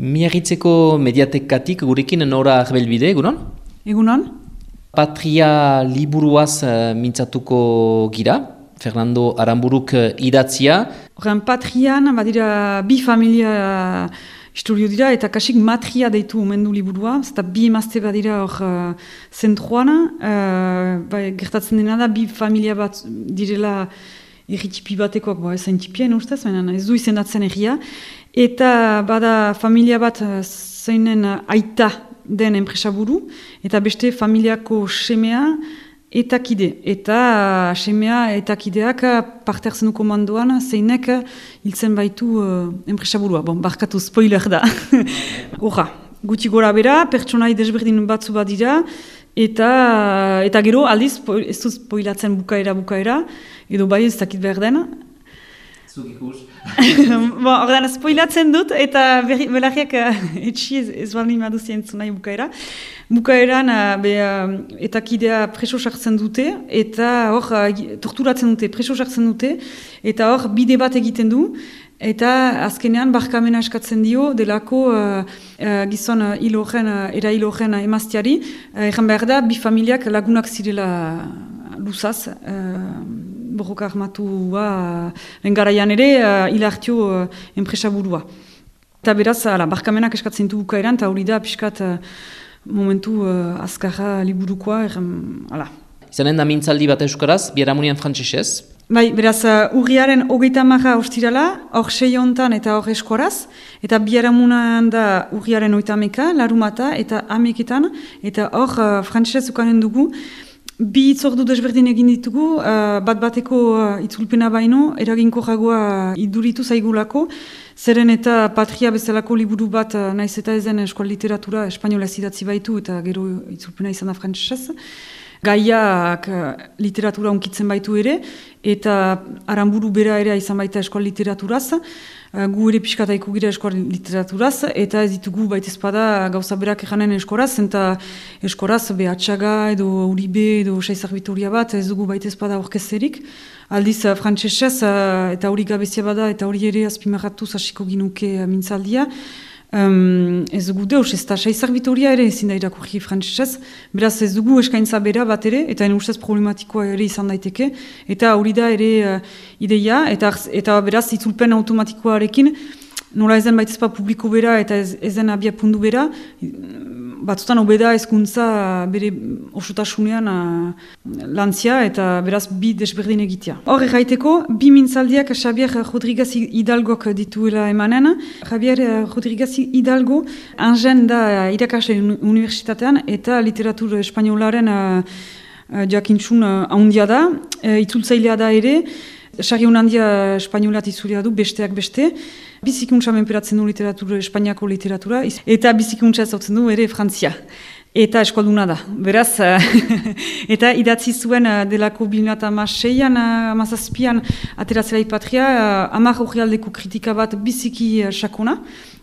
Miarritzeko mediatekatik gurekin Nora Arbelbide, egunon? Egunon? Patria liburuaz mintzatuko gira, Fernando Aranburuk idatzia. Horren Patrian, badira bi familia historio dira, eta kasik matria deitu omendu liburua, eta bi emazte badira hor zentroan, gertatzen dena da, bi familia bat direla erritipi batekoak, ezain tipien ustez, ez du izendatzen erria, eta bada familia bat zeinen aita den enpresaburu, eta beste familiako semea eta kide. Eta semea eta kideak parte hartzen du komandoan zeinek hiltzen baitu enpresaburua. Barkatu spoiler da. Horra, guti gora bera, pertsonai desberdin batzu bat dira, eta gero aldiz, ez du spoilatzen bukaera, edo bai ez dakit behar den. Zuk ikus. Ordan, spoilatzen dut, eta belarriak etxi ez baldin maduzia entzun nahi bukaera. Bukaeran, eta kidea preso sartzen dute, eta hor, torturatzen dute, preso sartzen dute, eta hor, bide bat egiten du, eta azkenean barkamena eskatzen dio, delako gizon era hil horren emazteari, erran behar da, bi familiak lagunak zirela luzaz, borroka armatua garaian ere hilartio enpresaburua. Eta beraz, barkamenak eskatzen du bukaeran, eta hori da pixkat momentu azkarra liburukoa. Izanen da mintzaldi bat euskaraz, biharamunian frantsesez. Bai, beraz, urriaren 30 ostirala, hor 6 hontan eta hor eskoraz, eta biharamunan da urriaren 30 larumata eta 11etan, eta hor frantsesez ukanen dugu. Bi itzordu desberdin egin ditugu, bat-bateko itzulpena baino, eraginko jagoa iduritu zaigulako, zeren eta Patria bezalako liburu bat naiz eta ezen eskual literatura espainolez idatzi baitu eta gero itzulpena izan da frantsesez. Gaiak literatura onkitzen baitu ere, eta Aranburu bera ere izan baita eskual literaturaz, gu ere pixkataiko gira eskual literaturaz, eta ez ditugu baitezpada gauza berak ejanen eskoraz, eta eskoraz behatxaga edo Uribe edo Saizar Vitoria bat ez dugu baitezpada orkezerik. Aldiz frantsesez eta hori gabezia bada eta hori ere azpimarratuz hasiko ginuke mintzaldia. Ez dugu deus, ez da Saizar Vitoria ere ezin da irakurri frantsesez, beraz ez dugu eskaintza bera bat ere, eta ustez problematikoa ere izan daiteke, eta hori da ere ideia, eta beraz itzulpen automatikoarekin, nola ezen baitezpa publiko bera eta ezen abia pundu bera, batzutan obeda hezkuntza bere osotasunean lantzia eta beraz bi desberdin egitea. Hor erraiteko, bi mintzaldiak Javier Rodriguez Hidalgok dituela emanen. Javier Rodriguez Hidalgo Angen da irakasle unibertsitatean eta literatur espainolaren jakintxun handia da, itzultzailea da ere, Sarriun handia espainolat itzulia du, besteak beste. Bizikuntza menperatzen du Espainiako literatura, eta bizikuntza zautzen du ere Frantzia. Eta eskualduna da. Beraz, eta idatzi zuen delako 2006an, 2007an, ateratzela Patria, 10 orrialdeko kritika bat biziki sakona.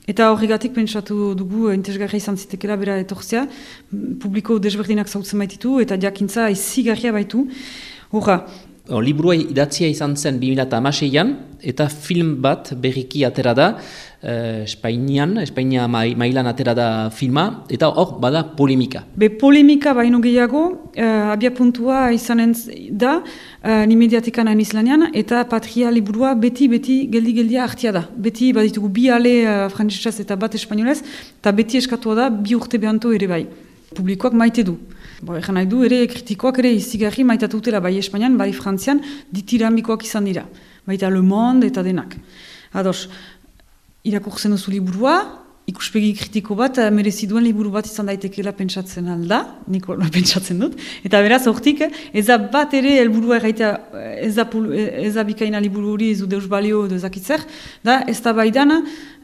Eta horregatik pentsatu dugu interesgarria izan zitekela bera etortzea, publiko desberdinak zautzen baititu, eta jakintza izigarria baitu. Horra. Liburua idatzia izan zen 2006an, eta film bat berriki atera da, Espainia mailan atera da filma, eta hor bada polemika. Polemika baino gehiago, abia puntua izanen da, ni mediatekan hain izlanean, eta Patria liburua beti geldi-geldia hartia da. Beti baditugu bi ale frantsesez eta bat espainolez, eta beti eskatua da bi urte behanto ere bai. Publikoak maite du. Egan nahi du, ere kritikoak ere izigarri maitatu dutela bai Espainian, bai Frantzian, ditirambikoak izan dira. Baita Le Monde eta denak. Ados, irakurtzen duzu liburua, ikuspegi kritiko bat, merezi duen liburu bat izan daitekela pentsatzen alda, niko pentsatzen dut. Eta beraz, hortik, ez da bat ere helburua erraitea, ez da bikaina liburu hori ez du deus balio edo ezakitzer, da ez da baidan,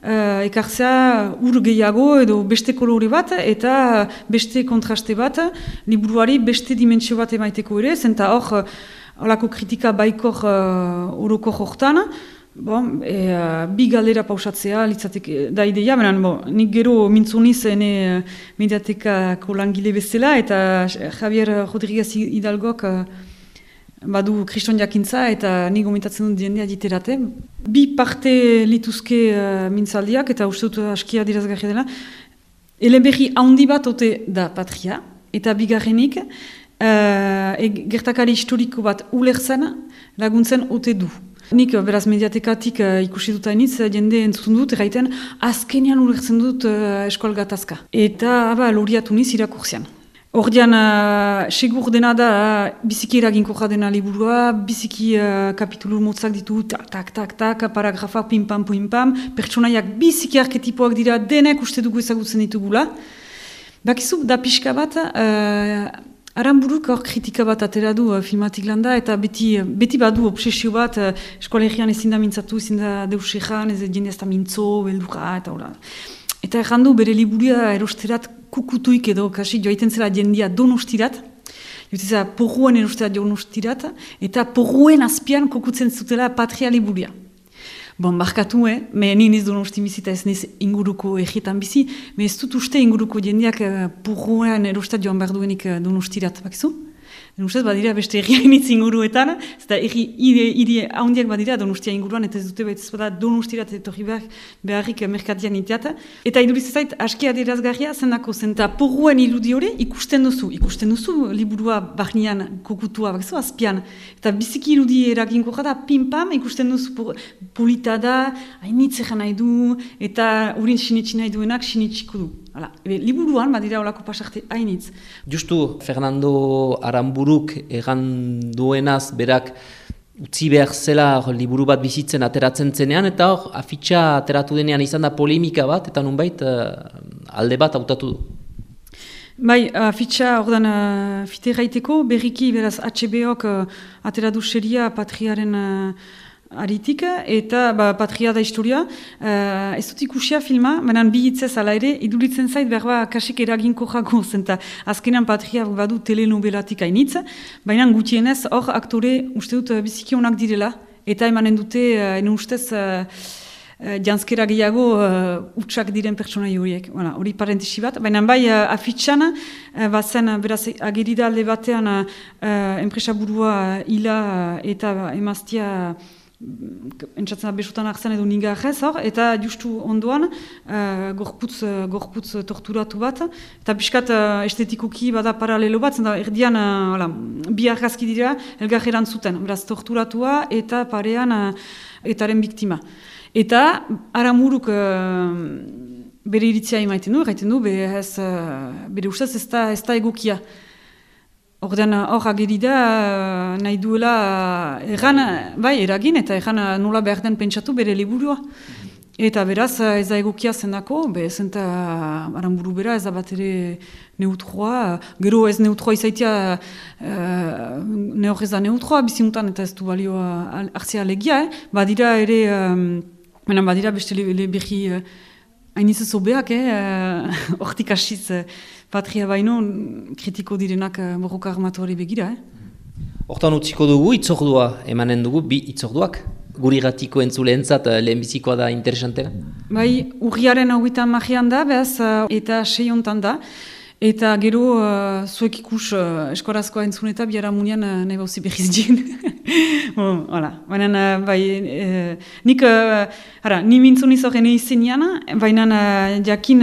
ekartzea ur gehiago edo beste kolore bat eta beste kontraste bat, liburuari beste dimentsio bat emaiteko ere, zenta hor, holako kritika baikor orokor hortan, bi galdera pausatzea, litzateke da ideia, nik gero mintzuniz ene mediatekako langile bezala, eta Javier Rodriguez Hidalgok badu kriston jakintza, eta nik gomitatzen dut jendea diterate, Bi parte lituzke mintzaldiak, eta uste dut askia dirazgarria dela. Eleberri handi bat ote da Patria, eta bigarrenik, gertakari historiko bat ulertzen laguntzen ote du. Nik beraz mediatekatik ikusi dut hainitz, jende entzun dut, erraiten azkenean ulertzen dut eskual gatazka. Eta loriatu niz irakurzian. Ordean, segur dena da, biziki eraginkorra dena liburua, biziki kapitulu motzak ditu, tak, paragrafa, pim-pam, pertsonaiak biziki arketipoak dira, denek uste dugu ezagutzen ditugula. Bakizu, da pixka bat, Aranburuk hor kritika bat atera du filmatik landa, eta beti badu obsesio bat, eskolegian ezin da mintzatu, ezin da deus egan, ez jende ez da mintzo, beldura, eta hola. Eta errandu bere liburia erosterat kukutuik edo, kasi joaiten zela jendia donostirat, joaiten porruen erosterat donostirat, eta porruen azpian kukutzen zutela Patria liburia. Bon, barkatu, me niz donosti bizita ez niz inguruko egietan bizi, me ez dut uste inguruko jendeak porroen erostat joan behar duenik donostirat, bakizu? Ustez, badira beste erriainitz inguruetan, eta hiri haundiak badira donostia inguruan, eta ez dute behiz bada donostirat etorri beharrik merkatian iteat. Eta iduriz ezait, askia dirazgarria zenako zen, eta porruen iludi hori ikusten duzu liburua barnean kokutua, bakizu, azpian. Eta biziki iludi eraginkorra da, pim-pam, ikusten duzu polita da, hainitz egan nahi du, eta urin sinitsi nahi duenak sinitsiko du. Liburuan, badira olako pasarte hainitz. Justu, Fernando Aranburuk egan duenaz berak utzi behar zela liburu bat bizitzen ateratzen zenean, eta hor afitxa ateratu denean izan da polemika bat, eta nunbait alde bat hautatu du. Bai, afitxa ordan fite gaiteko, berriki beraz HBO-k ateratu seria Patriaren aritik, eta Patria da historia, ez dut ikusia filma, baina bi hitzez ala ere, iduritzen zait berba kasik eraginko jako zen, azkenan Patria badu telenovelatik hainitz, baina gutienez hor aktore uste dut biziki onak direla, eta emanen dute, ene ustez, janskera gehiago utxak diren pertsonai horiek. Hori parentesi bat, baina bai afitxan, bazen beraz agerida alde batean enpresaburua hila eta emaztia entzatzen da besutan hartzen edo nigarrez hor, eta justu ondoan gorputz torturatu bat, eta pixkat estetikoki bada paralelo bat, zenta erdian bi argazki dira elgar erantzuten, beraz torturatua eta parean etaren biktima. Eta Aranburuk bere iritzia emaiten du, erraiten du, bere ustez ez da egokia. Ordean hor ageri da nahi duela eragin eta nola behar den pentsatu bere liburua. Eta beraz ez da egokia zendako, zenta Aranburu bera ez da bat ere neutroa, gero ez neutroa izaitia nehor ez da neutroa bizimutan eta ez du balioa hartzea alegia, badira ere, badira beste berri hainitz zobeak, hortik hasiz Patria baino kritiko direnak borroka armatuari begira. Hortan utziko dugu, itzordua emanen dugu, bi itzorduak. Guri gatiko entzuleentzat lehenbizikoa da interesantena? Bai, urriaren 30 da, behaz, eta 6 hontan da. Eta gero, zuek ikus eskorazkoa entzun eta biara munean nahi bauzi behiz dien. Baina, ni mintzun izorren izenean, baina jakin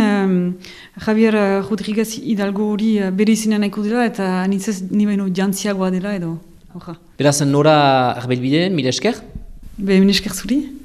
Javier Rodriguez Hidalgo hori bere izenean nahiko dela, eta nintzez ni baino jantziagoa dela edo. Beraz, nora arbelbide, mila esker? Mila esker zuri.